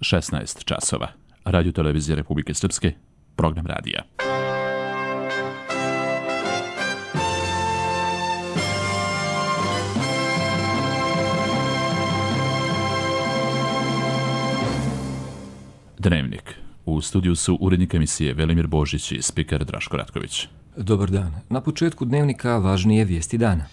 16 časova. Radio Televizija Republike Srpske, program radija. Dnevnik. U studiju su urednik emisije Velimir Božić i spiker Draško Ratković. Dobar dan. Na početku dnevnika važnije vijesti dana.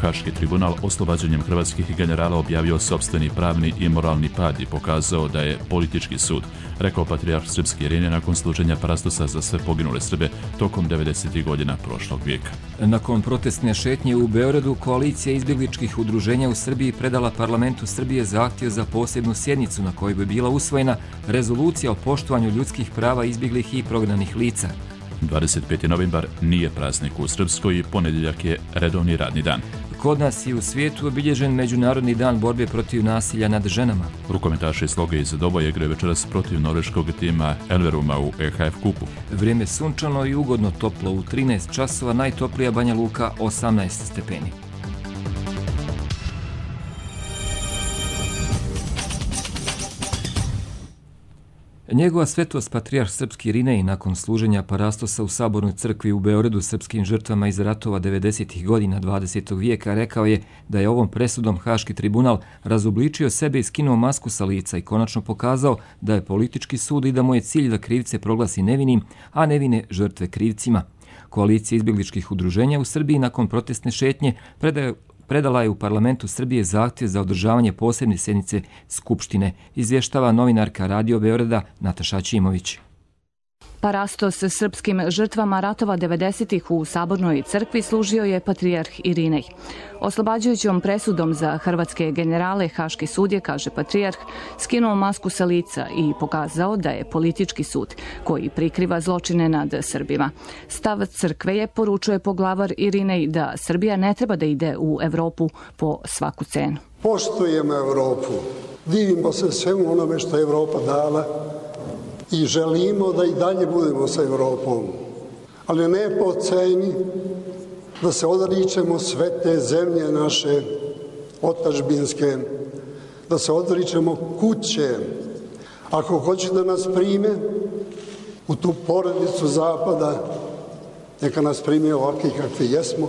Haški tribunal oslobađanjem hrvatskih generala objavio sopstveni pravni i moralni pad i pokazao da je politički sud, rekao patrijarh srpski Irine nakon služenja parastosa za sve poginule Srbe tokom 90. godina prošlog vijeka. Nakon protestne šetnje u Beogradu, koalicija izbjegličkih udruženja u Srbiji predala parlamentu Srbije zahtjev za posebnu sjednicu na kojoj bi bila usvojena rezolucija o poštovanju ljudskih prava izbjeglih i prognanih lica. 25. novembar nije praznik u Srpskoj i ponedjeljak je redovni radni dan. Kod nas i u svijetu obilježen Međunarodni dan borbe protiv nasilja nad ženama. Rukometaši Sloge iz Doboja igraju večeras protiv norveškog tima Elveruma u EHF kupu. Vrijeme sunčano i ugodno toplo u 13 časova, najtoplija Banja Luka 18 stepeni. Njegova svetost patrijarh srpski Irinej nakon služenja parastosa u Sabornoj crkvi u Beogradu srpskim žrtvama iz ratova 90. godina 20. vijeka rekao je da je ovom presudom Haški tribunal razobličio sebe i skinuo masku sa lica i konačno pokazao da je politički sud i da mu je cilj da krivce proglasi nevinim, a nevine žrtve krivcima. Koalicija izbjegličkih udruženja u Srbiji nakon protestne šetnje predala je u parlamentu Srbije zahtjev za održavanje posebne sjednice Skupštine, izvještava novinarka Radio Beograda Nataša Ćimović. Parastos srpskim žrtvama ratova 90-ih u Sabornoj crkvi služio je patrijarh Irinej. Oslobađajućom presudom za hrvatske generale Haški sud je, kaže patrijarh, skinuo masku sa lica i pokazao da je politički sud koji prikriva zločine nad Srbima. Stav crkve je, poručuje poglavar Irinej, da Srbija ne treba da ide u Evropu po svaku cenu. Poštujemo Evropu, divimo se svemu onome što je Evropa dala i želimo da i dalje budemo sa Evropom, ali ne po ceni da se odričemo sve te zemlje naše otadžbinske, da se odričemo kuće. Ako hoće da nas prime u tu porodicu Zapada, neka nas prime ovakvi kakvi jesmo,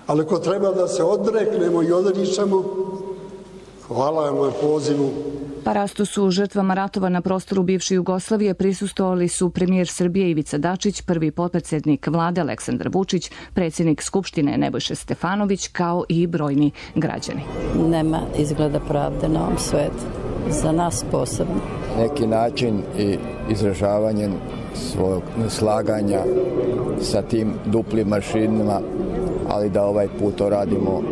ali ako treba da se odreknemo i odričemo, hvala vam na pozivu. Parastosu žrtvama ratova na prostoru bivše Jugoslavije prisustvovali su premijer Srbije Ivica Dačić, prvi potpredsjednik vlade Aleksandar Vučić, predsjednik Skupštine Nebojša Stefanović, kao i brojni građani. Nema izgleda pravde na ovom svijetu, za nas posebno. Neki način i izražavanjem svog neslaganja sa tim duplim mašinama, ali da ovaj put to radimo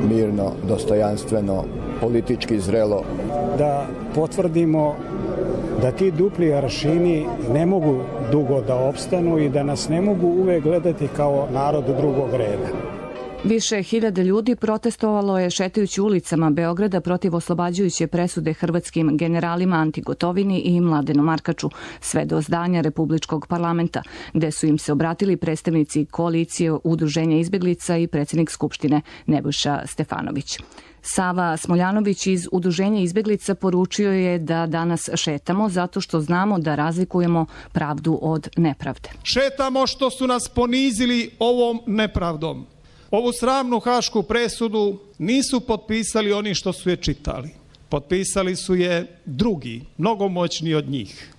mirno, dostojanstveno, politički zrelo. Da potvrdimo da ti dupli aršini ne mogu dugo da opstanu i da nas ne mogu uvek gledati kao narod drugog reda. Više hiljada ljudi protestovalo je šetajući ulicama Beograda protiv oslobađajuće presude hrvatskim generalima Anti Gotovini i Mladenu Markaču, sve do zdanja Republičkog parlamenta, gde su im se obratili predstavnici koalicije udruženja izbjeglica i predsjednik Skupštine Nebojša Stefanović. Sava Smoljanović iz Udruženja izbjeglica poručio je da danas šetamo zato što znamo da razlikujemo pravdu od nepravde. Šetamo što su nas ponizili ovom nepravdom. Ovu sramnu hašku presudu nisu potpisali oni što su je čitali. Potpisali su je drugi, mnogo moćniji od njih.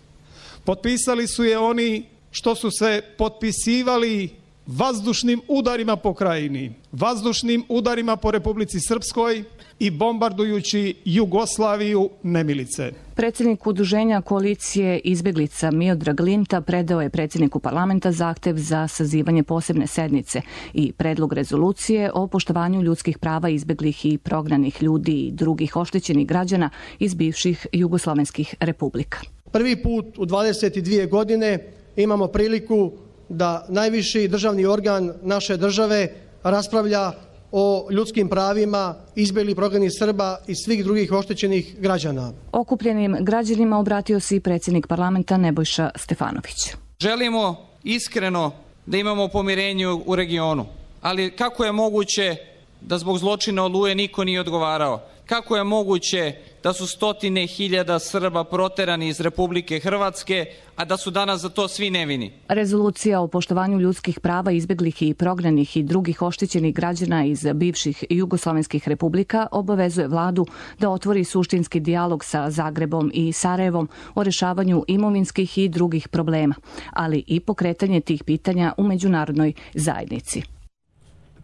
Potpisali su je oni što su se potpisivali vazdušnim udarima po krajini, vazdušnim udarima po Republici Srpskoj i bombardujući Jugoslaviju nemilice. Predsjednik udruženja koalicije izbjeglica Miodrag Linta predao je predsjedniku parlamenta zahtjev za sazivanje posebne sednice i predlog rezolucije o poštovanju ljudskih prava izbjeglih i prognanih ljudi i drugih oštećenih građana iz bivših jugoslavenskih republika. Prvi put u 22 godine imamo priliku da najviši državni organ naše države raspravlja o ljudskim pravima izbjeglih prognanih Srba i svih drugih oštećenih građana. Okupljenim građanima obratio se i predsjednik parlamenta Nebojša Stefanović. Želimo iskreno da imamo pomirenje u regionu. Ali kako je moguće da zbog zločina Oluje niko nije odgovarao? Kako je moguće da su stotine hiljada Srba proterani iz Republike Hrvatske, a da su danas za to svi nevini? Rezolucija o poštovanju ljudskih prava izbeglih i prognanih i drugih oštećenih građana iz bivših jugoslovenskih republika obavezuje vladu da otvori suštinski dijalog sa Zagrebom i Sarajevom o rešavanju imovinskih i drugih problema, ali i pokretanje tih pitanja u međunarodnoj zajednici.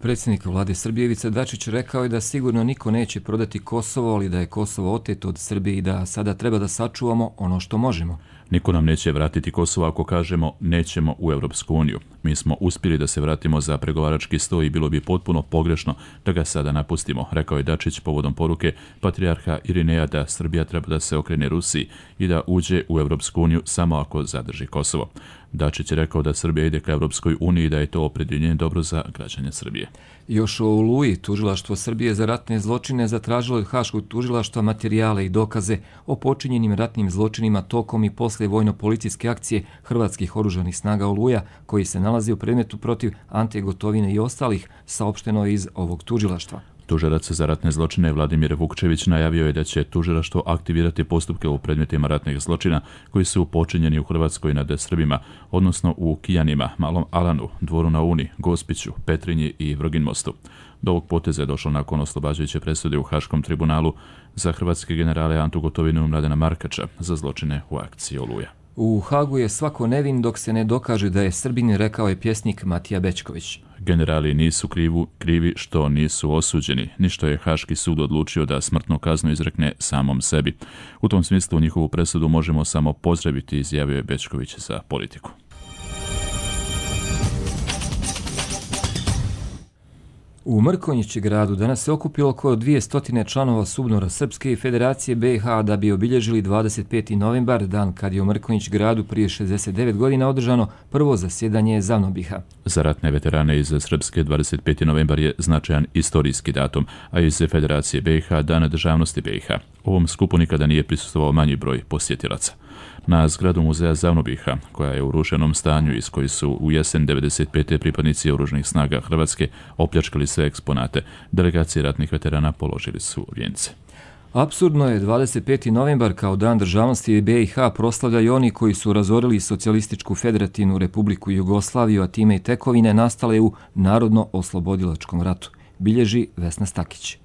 Predsjednik vlade Srbije Ivica Dačić rekao je da sigurno niko neće prodati Kosovo, ali da je Kosovo oteto od Srbije i da sada treba da sačuvamo ono što možemo. Niko nam neće vratiti Kosovo ako kažemo nećemo u Europsku uniju. Mi smo uspjeli da se vratimo za pregovarački sto i bilo bi potpuno pogrešno da ga sada napustimo, rekao je Dačić povodom poruke patrijarha Irineja da Srbija treba da se okrene Rusiji i da uđe u Europsku uniju samo ako zadrži Kosovo. Dačić je rekao da Srbija ide ka Europskoj uniji i da je to opredjeljenje dobro za građane Srbije. Još o Oluji, tužilaštvo Srbije za ratne zločine zatražilo od Haškog tužilaštva materijale i dokaze o počinjenim ratnim zločinima tokom i posle vojno-policijske akcije hrvatskih oružanih snaga Oluja, koji se nalazi u predmetu protiv Ante Gotovine i ostalih, saopšteno iz ovog tužilaštva. Tužilac za ratne zločine Vladimir Vukčević najavio je da će tužilaštvo aktivirati postupke u predmetima ratnih zločina koji su počinjeni u Hrvatskoj nad Srbima, odnosno u Kijanima, Malom Alanu, Dvoru na Uni, Gospiću, Petrinji i Vrginmostu. Do ovog poteza je došlo nakon oslobađajuće presude u Haškom tribunalu za hrvatske generale Antu Gotovinu i Mladena Markača za zločine u akciji Oluja. U Hagu je svako nevin dok se ne dokaže da je Srbin, rekao je pjesnik Matija Bećković. Generali nisu krivi što nisu osuđeni, ni što je Haški sud odlučio da smrtnu kaznu izrekne samom sebi. U tom smislu njihovu presudu možemo samo pozdraviti, izjavio je Bećković za Politiku. U Mrkonjić gradu danas se okupilo oko 200 članova SUBNOR-a Srpske i Federacije BiH da bi obilježili 25. novembar, dan kad je u Mrkonjić gradu prije 69 godina održano prvo zasjedanje ZAVNOBiH-a. Za ratne veterane iz Srpske 25. novembar je značajan istorijski datum, a iz Federacije BiH dan državnosti BiH. Ovom skupu nikada nije prisustvovao manji broj posjetilaca. Na zgradu muzeja ZAVNOBiH-a, koja je u rušenom stanju iz koji su u jesen 95. pripadnici oružanih snaga Hrvatske opljačkali sve eksponate, delegacije ratnih veterana položili su vijence. Apsurdno je 25. novembar kao dan državnosti BiH proslavljaju oni koji su razorili Socijalističku federativnu republiku Jugoslaviju, a time i tekovine nastale u Narodno-oslobodilačkom ratu, bilježi Vesna Stakić.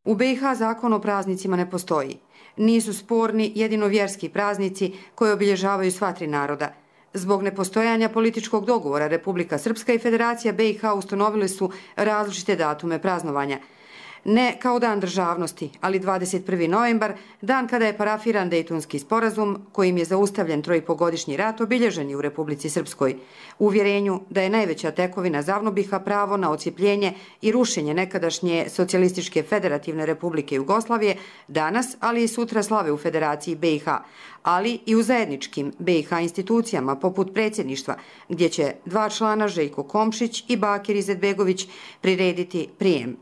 U BiH zakon o praznicima ne postoji. Nisu sporni jedino vjerski praznici koje obilježavaju sva tri naroda. Zbog nepostojanja političkog dogovora Republika Srpska i Federacija BiH ustanovile su različite datume praznovanja. Ne kao dan državnosti, ali 21. novembar, dan kada je parafiran Dejtonski sporazum, kojim je zaustavljen 3,5-godišnji rat, obilježen je u Republici Srpskoj. U uvjerenju da je najveća tekovina ZAVNOBiH-a pravo na ocijepljenje i rušenje nekadašnje Socijalističke federativne republike Jugoslavije, danas, ali i sutra slave u Federaciji BiH, ali i u zajedničkim BiH institucijama poput predsjedništva, gdje će 2 člana Željko Komšić i Bakir Izetbegović prirediti prijem.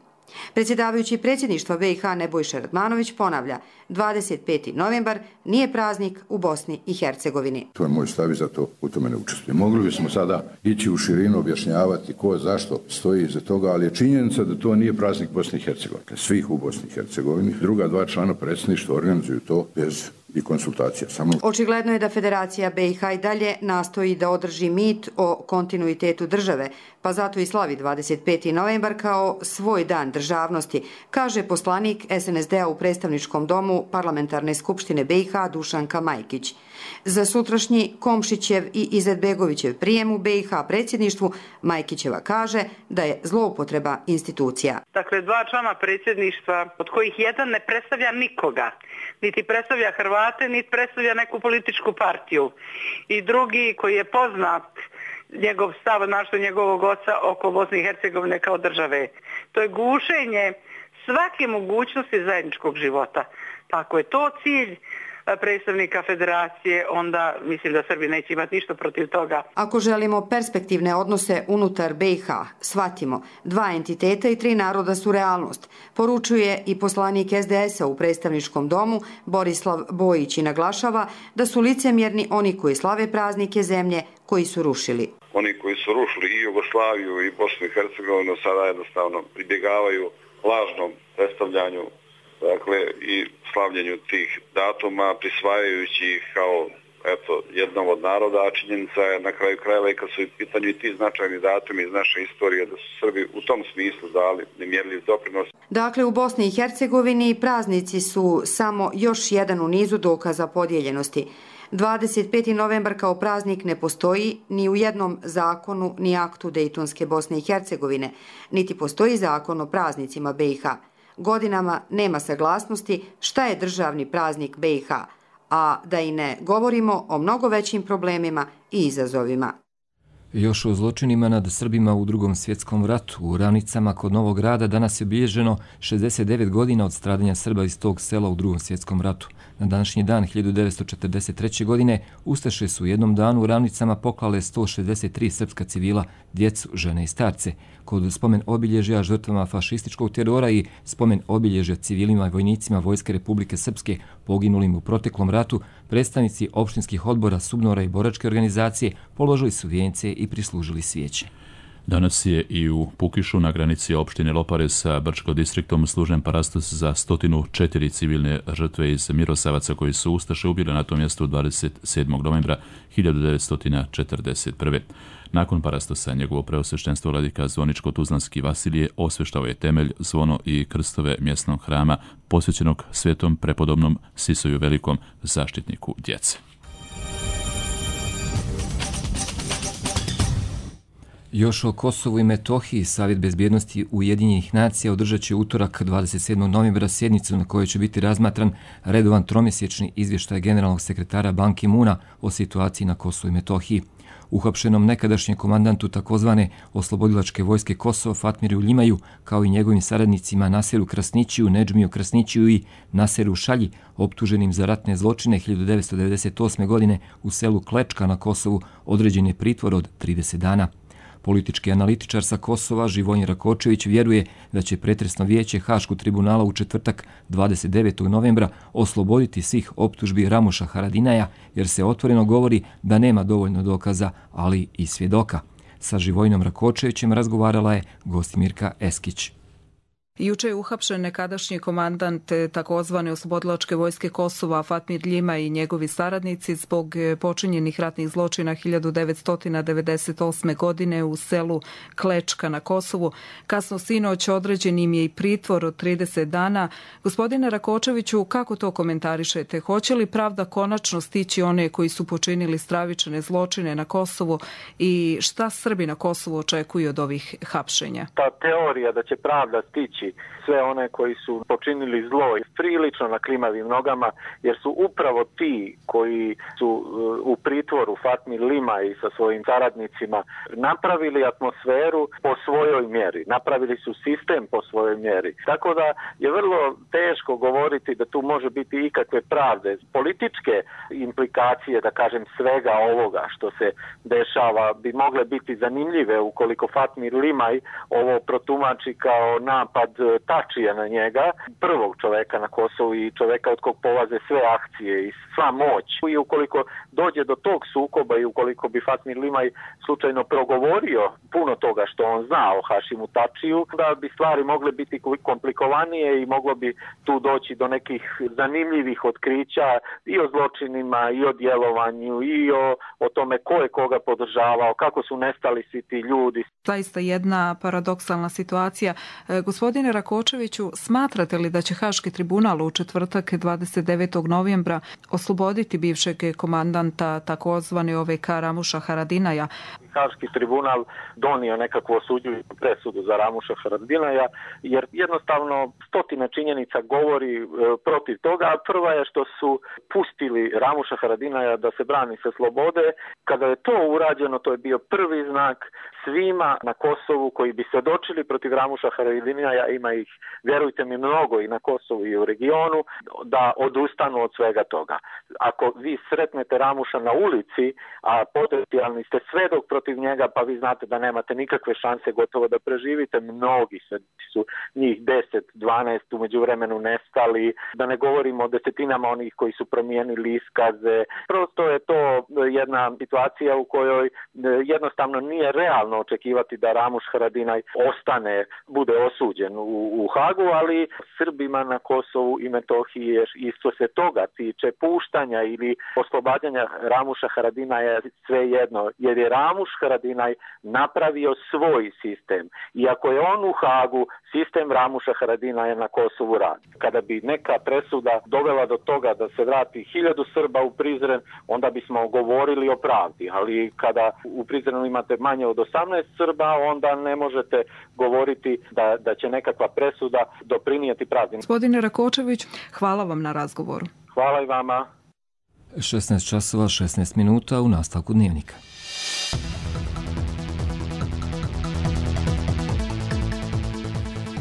Predsjedavajući predsjedništva BiH Nebojša Radmanović ponavlja, 25. novembar nije praznik u Bosni i Hercegovini. To je moj stav i zato u tome ne učestvujem. Mogli bismo sada ići u širinu, objašnjavati ko zašto stoji iza toga, ali je činjenica da to nije praznik Bosne i Hercegovine. Svih u Bosni i Hercegovini. Druga 2 člana predsjedništva organizuju to bez i konsultacija. Očigledno je da Federacija BiH i dalje nastoji da održi mit o kontinuitetu države, pa zato i slavi 25. novembar kao svoj dan državnosti, kaže poslanik SNSD-a u predstavničkom domu Parlamentarne skupštine BiH Dušanka Majkić. Za sutrašnji Komšićev i Izetbegovićev prijem u BiH predsjedništvu Majkićeva kaže da je zloupotreba institucija. Dakle, 2 člana predsjedništva, od kojih jedan ne predstavlja nikoga, niti predstavlja Hrvate, niti predstavlja neku političku partiju. I drugi koji je poznat, njegov stav, našto njegovog oca oko Bosne i Hercegovine kao države. To je gušenje svake mogućnosti zajedničkog života. Pa ako je to cilj predstavnika Federacije, onda mislim da Srbi neće imati ništa protiv toga. Ako želimo perspektivne odnose unutar BiH, shvatimo, 2 entiteta i 3 naroda su realnost, poručuje i poslanik SDS-a u predstavničkom domu Borislav Bojić i naglašava da su licemjerni oni koji slave praznike zemlje koji su rušili. oni koji su rušili i Jugoslaviju i Bosnu i Hercegovinu sada jednostavno pribjegavaju lažnom predstavljanju, dakle, i slavljenju tih datuma, prisvajajući ih kao jednom od naroda, a činjenica je na kraju krajeva i kad su u pitanju i ti značajni datumi iz naše istorije da su Srbi u tom smislu dali nemjerljiv doprinos. Dakle, u Bosni i Hercegovini praznici su samo još jedan u nizu dokaza podijeljenosti. 25. novembar kao praznik ne postoji ni u jednom zakonu ni aktu Dejtonske Bosne i Hercegovine, niti postoji zakon o praznicima BiH. Godinama nema saglasnosti šta je državni praznik BiH, a da i ne govorimo o mnogo većim problemima i izazovima. Još o zločinima nad Srbima u Drugom svjetskom ratu. U Ravnicama kod Novog Grada danas je obilježeno 69 godina od stradanja Srba iz tog sela u Drugom svjetskom ratu. Na današnji dan 1943. godine ustaše su u jednom danu u Ravnicama poklale 163 srpska civila, djecu, žene i starce. Kod spomen obilježja žrtvama fašističkog terora i spomen obilježja civilima i vojnicima Vojske Republike Srpske poginulim u proteklom ratu, predstavnici opštinskih odbora, SUBNOR-a i boračke organizacije položili su vijence i prislužili svijeće. Danas je i u Pukišu na granici opštine Lopare sa Brčko distriktom služen parastos za 104 civilne žrtve iz Mirosavaca koji su ustaše ubile na tom mjestu 27. novembra 1941. Nakon parastosa njegovo preosveštenstvo vladika Zvoničko-Tuzlanski Vasilije osveštao je temelj, zvono i krstove mjesnog hrama posvećenog svetom prepodobnom Sisoju Velikom, zaštitniku djece. Još o Kosovu i Metohiji, Savjet bezbjednosti Ujedinjenih nacija održat će utorak 27. novembra sjednicu na kojoj će biti razmatran redovan tromjesečni izvještaj generalnog sekretara Ban Ki-moona o situaciji na Kosovu i Metohiji. Uhapšenom nekadašnjem komandantu takozvane oslobodilačke vojske Kosova Fatmiru Ljimaju, kao i njegovim saradnicima Naseru Krasnićiju, Nedžmiju Krasnićiju i Naseru Šalji, optuženim za ratne zločine 1998. godine u selu Klečka na Kosovu, određen je pritvor od 30 dana. Politički analitičar sa Kosova Živojin Rakočević vjeruje da će pretresno vijeće Haškog tribunala u četvrtak 29. novembra osloboditi svih optužbi Ramuša Haradinaja jer se otvoreno govori da nema dovoljno dokaza, ali i svjedoka. Sa Živojinom Rakočevićem razgovarala je Gostimirka Eskić. Juče je uhapšen nekadašnji komandant takozvane oslobodilačke vojske Kosova Fatmir Ljima i njegovi saradnici zbog počinjenih ratnih zločina 1998. godine u selu Klečka na Kosovu. Kasno sinoć određen im je i pritvor od 30 dana. Gospodine Rakočeviću, kako to komentarišete? Hoće li pravda konačno stići one koji su počinili stravične zločine na Kosovu i šta Srbi na Kosovu očekuju od ovih hapšenja? Ta teorija da će pravda stići sve one koji su počinili zlo prilično na klimavim nogama, jer su upravo ti koji su u pritvoru Fatmir Ljima i sa svojim saradnicima napravili atmosferu po svojoj mjeri, napravili su sistem po svojoj mjeri. Tako da je vrlo teško govoriti da tu može biti ikakve pravde. Političke implikacije, da kažem, svega ovoga što se dešava bi mogle biti zanimljive ukoliko Fatmir Ljimaj ovo protumači kao napad Tačija na njega, prvog čoveka na Kosovu i čoveka od kog polaze sve akcije i sva moć. I ukoliko dođe do tog sukoba i ukoliko bi Fatmir Ljimaj slučajno progovorio puno toga što on zna o Hašimu Tačiju, da bi stvari mogle biti komplikovanije i moglo bi tu doći do nekih zanimljivih otkrića i o zločinima i o djelovanju i o tome ko je koga podržavao, kako su nestali svi ti ljudi. Zaista jedna paradoksalna situacija. Gospodine Rakočeviću, smatrate li da će Haški tribunal u četvrtak 29. novembra osloboditi bivšeg komandanta takozvane OVK Ramuša Haradinaja? Haški tribunal donio nekakvu osuđujuću presudu za Ramuša Haradinaja, jer jednostavno stotina činjenica govori protiv toga. Prva je što su pustili Ramuša Haradinaja da se brani sa slobode. Kada je to urađeno, to je bio prvi znak svima na Kosovu koji bi se dočili protiv Ramuša Haradinaja, ima ih, vjerujte mi, mnogo i na Kosovu i u regionu, da odustanu od svega toga. Ako vi sretnete Ramuša na ulici, a potencijalni ste svedok protiv protiv njega, pa vi znate da nemate nikakve šanse gotovo da preživite. Mnogi su njih 10-12 u međuvremenu nestali, da ne govorimo o desetinama onih koji su promijenili iskaze. Prosto je to jedna situacija u kojoj jednostavno nije realno očekivati da Ramuš Haradinaj bude osuđen u Hagu, ali Srbima na Kosovu i Metohiji je isto se toga tiče puštanja ili oslobađanja Ramuša Haradinaja je svejedno, jer je Ramuš Haradinaj napravio svoj sistem. I ako je on u Hagu, sistem Ramuša Haradinaja na Kosovu radi. Kada bi neka presuda dovela do toga da se vrati 1000 Srba u Prizren, onda bismo govorili o pravdi, ali kada u Prizrenu imate manje od 18 Srba, onda ne možete govoriti da će nekakva presuda doprinijeti pravdi. Gospodine Rakočević, hvala vam na razgovoru. Hvala i vama. 16 časova, 16 minuta u nastavku Dnevnika.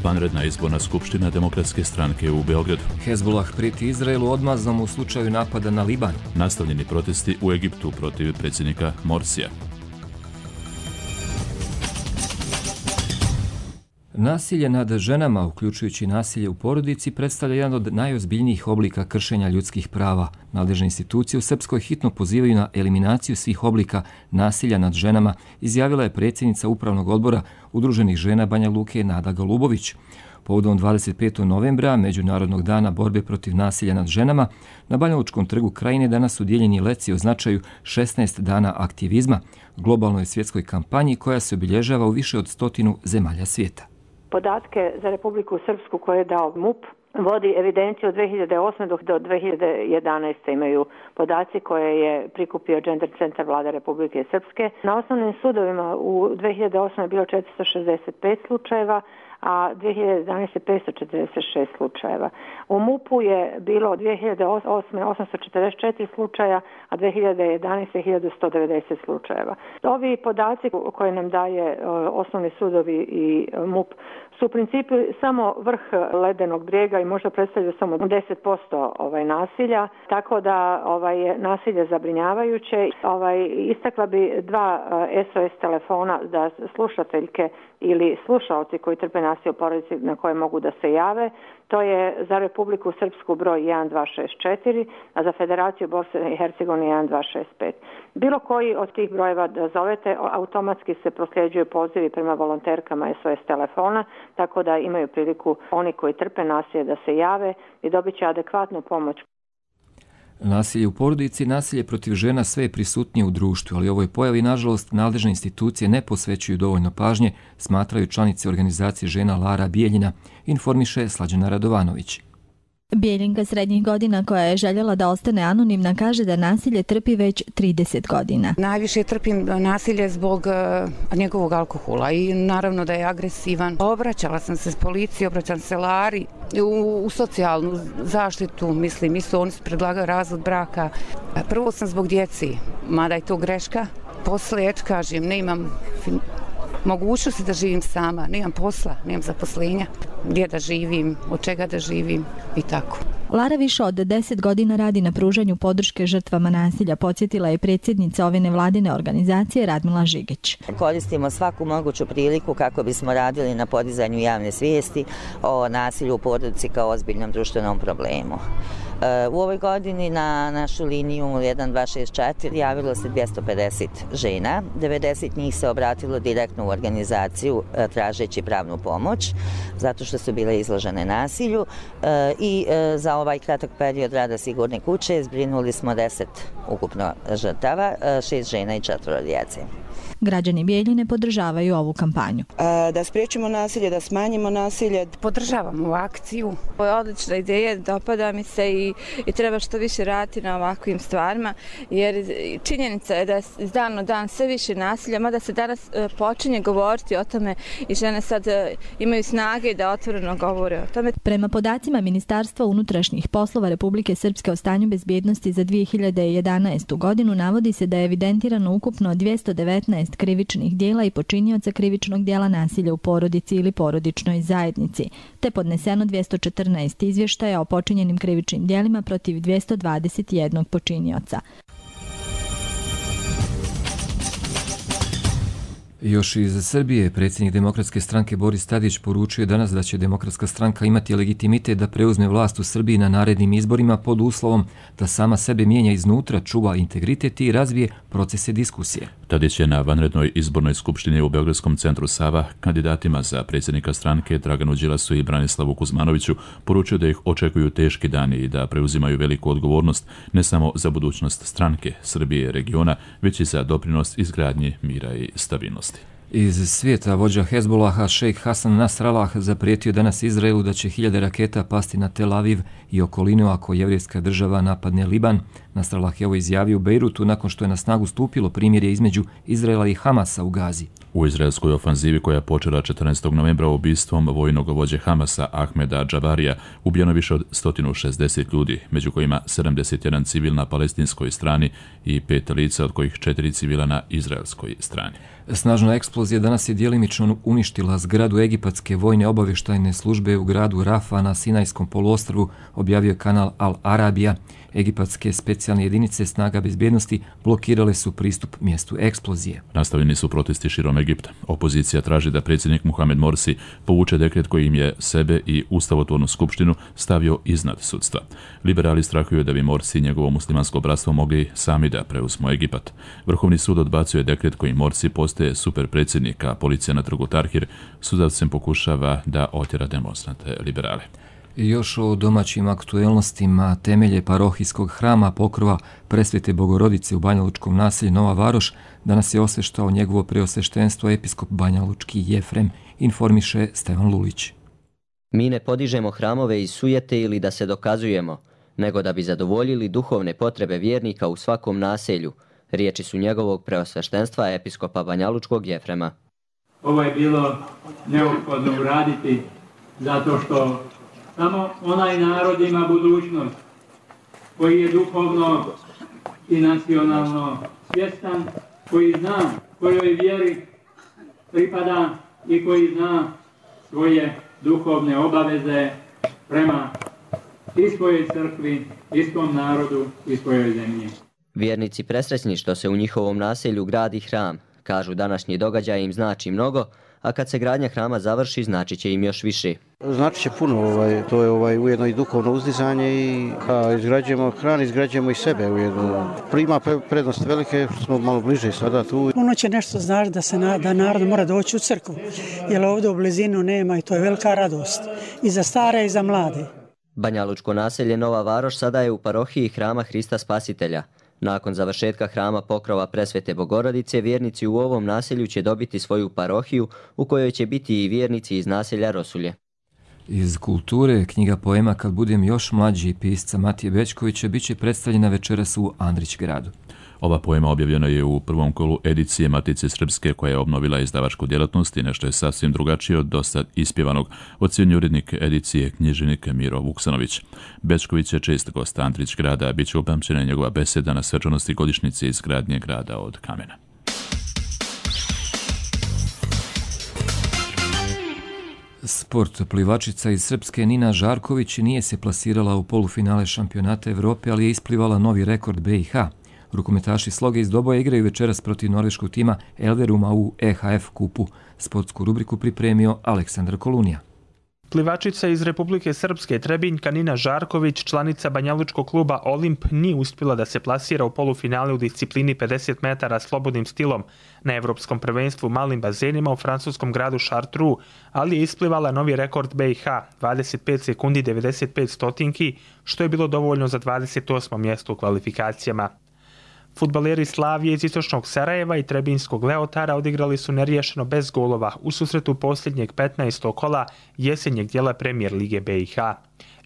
Vanredna izborna skupština Demokratske stranke u Beogradu. Hezbollah prijeti Izraelu odmazom u slučaju napada na Liban. Nastavljeni protesti u Egiptu protiv predsjednika Morsija. Nasilje nad ženama, uključujući nasilje u porodici, predstavlja jedan od najozbiljnijih oblika kršenja ljudskih prava. Nadležne institucije u Srpskoj hitno pozivaju na eliminaciju svih oblika nasilja nad ženama, izjavila je predsjednica Upravnog odbora Udruženih žena Banja Luke Nada Golubović. Povodom 25. novembra, Međunarodnog dana borbe protiv nasilja nad ženama, na Banjalučkom trgu Krajine danas su dijeljeni leci o značaju 16 dana aktivizma, globalnoj svjetskoj kampanji koja se obilježava u više od 100 zemalja svijeta. Podatke za Republiku Srpsku koje je dao MUP vodi evidenciju od 2008. do 2011. imaju podaci koje je prikupio Gender Centar Vlade Republike Srpske. Na osnovnim sudovima u 2008. je bilo 465 slučajeva, a 2011. 546 slučajeva. U MUP-u je bilo 2008. 844 slučaja, a 2011. 1190 slučajeva. Ovi podaci koje nam daje osnovni sudovi i MUP su u principu samo vrh ledenog brijega i možda predstavljaju samo 10% nasilja, tako da je nasilje zabrinjavajuće. Istakla bi 2 SOS telefona da slušateljke ili slušaoci koji trpe nasilje u porodici na koje mogu da se jave. To je za Republiku Srpsku broj 1264, a za Federaciju Bosne i Hercegovine 1265. Bilo koji od tih brojeva da zovete, automatski se prosljeđuju pozivi prema volonterkama SOS telefona, tako da imaju priliku oni koji trpe nasilje da se jave i dobit će adekvatnu pomoć. Nasilje u porodici i nasilje protiv žena sve je prisutnije u društvu, ali ovoj pojavi, nažalost, nadležne institucije ne posvećuju dovoljno pažnje, smatraju članice organizacije žena Lara Bijeljina, informiše Slađana Radovanović. Bijeljinka srednjih godina koja je željela da ostane anonimna kaže da nasilje trpi već 30 godina. Najviše trpim nasilje zbog njegovog alkohola i naravno da je agresivan. Obraćala sam se s policiji, obraćam se Lari u socijalnu zaštitu, mislim, isto oni su predlagali razvod braka. Prvo sam zbog djeci, mada je to greška. Posle, kažem, ne imam mogućnosti da živim sama, nemam posla, nemam zaposlenja, gdje da živim, od čega da živim i tako. Lara više od 10 godina radi na pružanju podrške žrtvama nasilja, podsjetila je predsjednica ove nevladine organizacije Radmila Žigić. Koristimo svaku moguću priliku kako bismo radili na podizanju javne svijesti o nasilju u porodici kao ozbiljnom društvenom problemu. U ovoj godini na našu liniju 1264 javilo se 250 žena, 90 njih se obratilo direktno u organizaciju tražeći pravnu pomoć, zato što su bile izložene nasilju i za ovaj kratak period rada Sigurne kuće zbrinuli smo 10 ukupno žrtava, 6 žena i 4 djece. Građani Bijeljine podržavaju ovu kampanju. Da spriječimo nasilje, da smanjimo nasilje. Podržavam ovu akciju. Ovo je odlična ideja, dopada mi se i treba što više raditi na ovakvim stvarima, jer činjenica je da iz dana u dan sve više nasilja, mada se danas počinje govoriti o tome i žene sad imaju snage da otvoreno govore o tome. Prema podacima Ministarstva unutrašnjih poslova Republike Srpske o stanju bezbjednosti za 2011. godinu navodi se da je evidentirano ukupno 219 krivičnih dijela i počinioca krivičnog dijela nasilja u porodici ili porodičnoj zajednici, te podneseno 214 izvještaja o počinjenim krivičnim dijelima protiv 221 počinioca. Još iz Srbije, predsjednik Demokratske stranke Boris Tadić poručio je danas da će Demokratska stranka imati legitimitet da preuzme vlast u Srbiji na narednim izborima pod uslovom da sama sebe mijenja iznutra, čuva integritet i razvije procese diskusije. Tadić je na vanrednoj izbornoj skupštini u Beogradskom centru Sava kandidatima za predsjednika stranke Draganu Đilasu i Branislavu Kuzmanoviću poručio da ih očekuju teški dani i da preuzimaju veliku odgovornost ne samo za budućnost stranke, Srbije, regiona, već i za doprinos izgradnji mira i stabilnosti. Iz svijeta vođa Hezbolaha šejk Hasan Nasrallah zaprijetio danas Izraelu da će 1000 raketa pasti na Tel Aviv i okolinu ako jevrijska država napadne Liban. Nasrallah je ovo izjavio u Bejrutu nakon što je na snagu stupilo primirje između Izraela i Hamasa u Gazi. U izraelskoj ofanzivi koja je počela 14. novembra ubistvom vojnog vođe Hamasa Ahmeda Džabarija ubijeno više od 160 ljudi, među kojima 71 civil na palestinskoj strani i 5 lica, od kojih 4 civila na izraelskoj strani. Snažna eksplozija danas je djelimično uništila zgradu egipatske vojne obavještajne službe u gradu Rafa na Sinajskom poluostrvu, objavio kanal Al Arabija. Egipatske specijalne jedinice snaga bezbjednosti blokirale su pristup mjestu eksplozije. Nastavljeni su protesti širom Egipta. Opozicija traži da predsjednik Mohamed Morsi povuče dekret kojim je sebe i ustavotvornu skupštinu stavio iznad sudstva. Liberali strahuju da bi Morsi i njegovo muslimansko bratstvo mogli sami da preuzmu Egipat. Vrhovni sud odbacuje dekret kojim Morsi postaje superpredsjednik, a policija na trgu Tahrir sudavcem pokušava da otjera demonstrante liberale. I još o domaćim aktuelnostima. Temelje parohijskog hrama Pokrova Presvete Bogorodice u Banjalučkom naselju Nova Varoš danas je osveštao njegovo preosveštenstvo episkop Banjalučki Jefrem, informiše Stevan Lulić. Mi ne podižemo hramove iz sujete ili da se dokazujemo, nego da bi zadovoljili duhovne potrebe vjernika u svakom naselju. Riječi su njegovog preosveštenstva episkopa Banjalučkog Jefrema. Ovo je bilo neophodno uraditi zato što samo onaj narod ima budućnost koji je duhovno i nacionalno svjestan, koji zna kojoj vjeri pripada i koji zna svoje duhovne obaveze prema i svojoj crkvi, i svom narodu, i svojoj zemlji. Vjernici presrećni što se u njihovom naselju gradi hram. Kažu, današnji događaj im znači mnogo, a kad se gradnja hrama završi, znači će im još više. Znači će puno, to je ujedno i duhovno uzdizanje i izgrađujemo hram, izgrađujemo i sebe ujedno. Prima prednost velike, smo malo bliže sada tu. Puno će nešto znači da narod mora doći u crkvu, jer ovdje u blizinu nema i to je velika radost i za stare i za mlade. Banjalučko naselje Nova Varoš sada je u parohiji Hrama Hrista Spasitelja. Nakon završetka hrama Pokrova Presvete Bogorodice, vjernici u ovom naselju će dobiti svoju parohiju u kojoj će biti i vjernici iz naselja Rosulje. Iz kulture, knjiga poema Kad budem još mlađi pisca Matije Bećkovića bit će predstavljena večeras u Andrićgradu. Ova poema objavljena je u prvom kolu edicije Matice Srpske koja je obnovila izdavačku djelatnost i nešto je sasvim drugačije od dosad ispjevanog, ocjenjuje urednik edicije književnik Miro Vuksanović. Bećković je čest gost Andrićgrada, bit će upamćena njegova beseda na svečanosti godišnjice izgradnje grada od kamena. Sport. Plivačica iz Srpske Nina Žarković nije se plasirala u polufinale šampionata Evrope, ali je isplivala novi rekord BiH. Rukometaši Sloge iz Doboja igraju večeras protiv norveškog tima Elveruma u EHF kupu. Sportsku rubriku pripremio Aleksandar Kolunija. Plivačica iz Republike Srpske Trebinjka Nina Žarković, članica banjalučkog kluba Olimp, nije uspjela da se plasira u polufinale u disciplini 50 metara slobodnim stilom na Evropskom prvenstvu malim bazenima u francuskom gradu Chartreux, ali je isplivala novi rekord BiH, 25 sekundi 95 stotinki, što je bilo dovoljno za 28. mjesto u kvalifikacijama. Fudbaleri Slavije iz istočnog Sarajeva i Trebinjskog Leotara odigrali su neriješeno bez golova u susretu posljednjeg 15. kola jesenjeg dijela Premijer Lige BiH.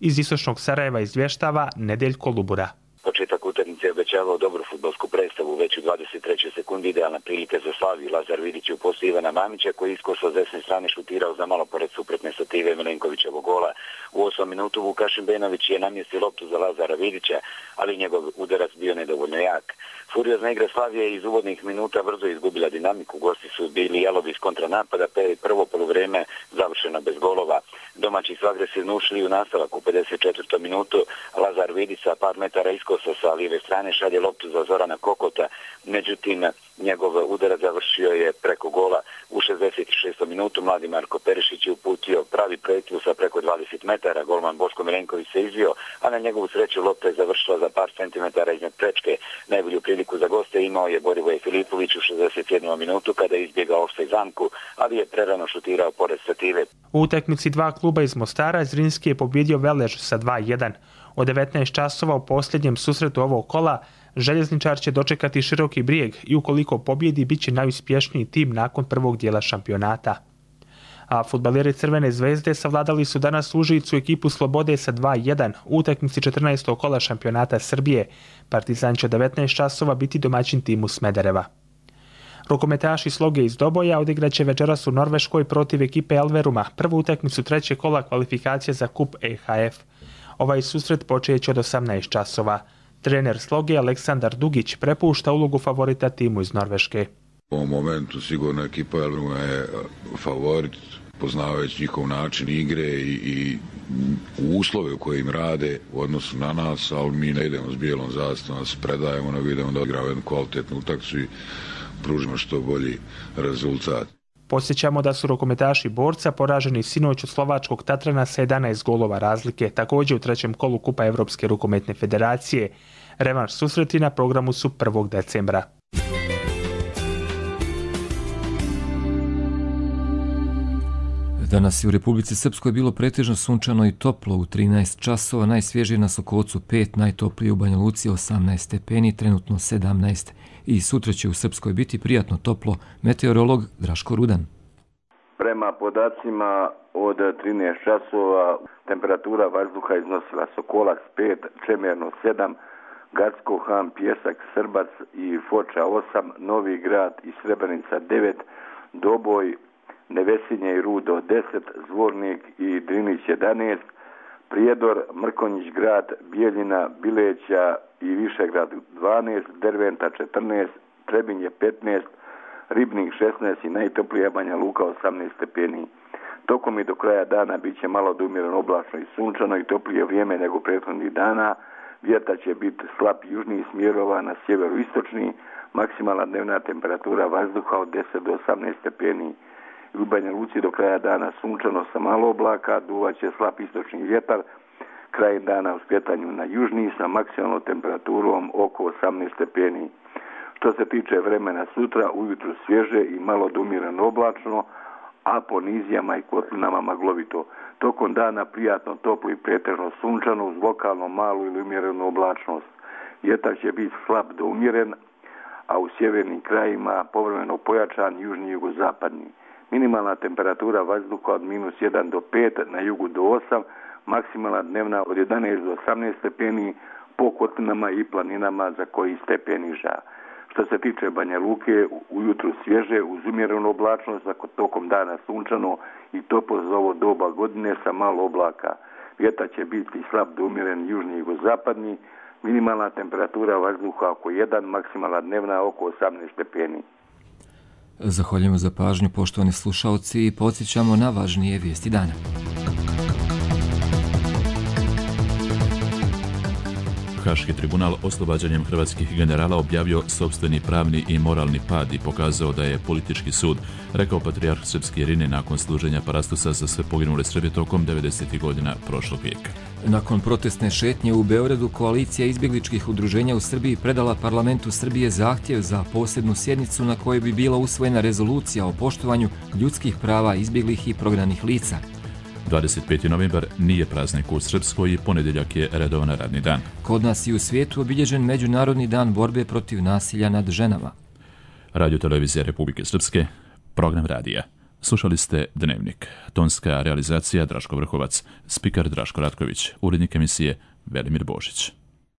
Iz istočnog Sarajeva izvještava Nedeljko Lubura. Početak utakmice je obećavao dobru fudbalsku predstavu, već u 23. sekundi idealna prilika za Slaviju. Lazar Vidić je u postu Ivana Mamića koji iskoso s desne strane šutirao za malo pored suprotne stative Milenkovićevog gola. U 8. minutu Vukašin Benović je namjestio loptu za Lazara Vidića, ali njegov udarac bio nedovoljno jak. Furiozna igra Slavije iz uvodnih minuta brzo izgubila dinamiku. Gosti su bili jalovi iz kontranapada, pa je prvo poluvreme završeno bez golova. Domaći su agresivno ušli u nastavak u 54. minutu. Lazar Vidić sa par metara iskosa sa lijeve strane šalje loptu za Zorana Kokota. Međutim, njegov udarac završio je preko gola u 66. minutu. Mladi Marko Perišić je uputio pravi projektil sa preko 20 metara. Golman Boško Milenković se izvio, a na njegovu sreću lopta je završila za par centimetara iznad prečke. Najbolju priliku za goste imao je Borivoje Filipović u 61. minutu kada je izbjegao offside zamku, ali je prerano šutirao pored stative. U utakmici dva kluba iz Mostara Zrinski je pobjedio Velež sa 2:1. Od 19 časova u posljednjem susretu ovog kola Željezničar će dočekati Široki Brijeg i ukoliko pobjedi bit će najuspješniji tim nakon prvog dijela šampionata. A fudbaleri Crvene zvezde savladali su danas Užicu ekipu Slobode sa 2:1 u utakmici 14. kola šampionata Srbije. Partizan će od 19 časova biti domaćin timu Smedereva. Rukometaši Sloge iz Doboja odigraće večeras u Norveškoj protiv ekipe Elveruma, prvu utakmicu trećeg kola kvalifikacije za kup EHF. Ovaj susret počeće od 18 časova. Trener Sloge Aleksandar Dugić prepušta ulogu favorita timu iz Norveške. U ovom momentu sigurno ekipa Elveruma je favorit, poznavajući njihov način igre i uslove u kojim rade u odnosu na nas, ali mi ne idemo s bijelom zastavom, se predajemo, nego idemo da odigramo jednu kvalitetnu utakmicu i pružimo što bolji rezultat. Podsjećamo da su rukometaši Borca poraženi sinoć od slovačkog Tatrana sa 11 golova razlike, također u trećem kolu Kupa Evropske rukometne federacije. Revanš susreti na programu su 1. decembra. Danas je u Republici Srpskoj bilo pretežno sunčano i toplo u 13 časova, najsvježije na Sokocu 5, najtoplije u Banja Luci 18 stepeni, trenutno 17. I sutra će u Srpskoj biti prijatno toplo, meteorolog Draško Rudan. Prema podacima od 13 časova temperatura vazduha iznosila Sokolac 5, Čemerno 7, Gacko, Han, Pjesak, Srbac i Foča 8, Novi Grad i Srebrenica 9, Doboj, Nevesinje i Rudo 10, Zvornik i Drinić 11, Prijedor, Mrkonjić grad, Bijeljina, Bileća i Višegrad 12, Derventa 14, Trebinje 15, Ribnik 16 i najtoplija Banja Luka 18 stepeni. Tokom i do kraja dana bit će malo do umjereno oblačno i sunčano i toplije vrijeme nego prethodnih dana. Vjetar će biti slab južnih smjerova na sjeveroistočni, maksimalna dnevna temperatura vazduha od 10 do 18 stepeni. U Banja Luci do kraja dana sunčano sa malo oblaka, duvaće slab istočni vjetar, kraj dana u skretanju na južni sa maksimalnom temperaturom oko 18 stepeni. Što se tiče vremena sutra, ujutru svježe i malo do umjereno oblačno, a po nizijama i kotlinama maglovito. Tokom dana prijatno toplo i pretežno sunčano uz lokalno malu ili umjerenu oblačnost. Vjetar će biti slab do umjeren, a u sjevernim krajima povremeno pojačan južni i jugozapadni. Minimalna temperatura vazduha od -1 do 5, na jugu do 8, maksimalna dnevna od 11 do 18 stepeni, po kotlinama i planinama za koji stepen niža. Što se tiče Banja Luke, ujutru svježe uz umjerenu oblačnost, a tokom dana sunčano i toplo za ovo doba godine sa malo oblaka. Vjetar će biti slab do umjeren južni i jugozapadni, minimalna temperatura vazduha oko 1, maksimalna dnevna oko 18 stepeni. Zahvaljujemo za pažnju, poštovani slušalci, i podsjećamo na važnije vijesti dana. Haški tribunal oslobađanjem hrvatskih generala objavio sopstveni pravni i moralni pad i pokazao da je politički sud, rekao patrijarh srpski Irine nakon služenja parastosa za sve poginule Srbe tokom 90. godina prošlog vijeka. Nakon protestne šetnje u Beogradu, koalicija izbjegličkih udruženja u Srbiji predala parlamentu Srbije zahtjev za posebnu sjednicu na kojoj bi bila usvojena rezolucija o poštovanju ljudskih prava izbjeglih i prognanih lica. 25. novembar nije praznik u Srpskoj i ponedjeljak je redovan radni dan. Kod nas i u svijetu obilježen Međunarodni dan borbe protiv nasilja nad ženama. Radio televizija Republike Srpske, program radija. Slušali ste Dnevnik. Tonska realizacija Draško Vrhovac, spikar Draško Ratković, urednik emisije Velimir Božić.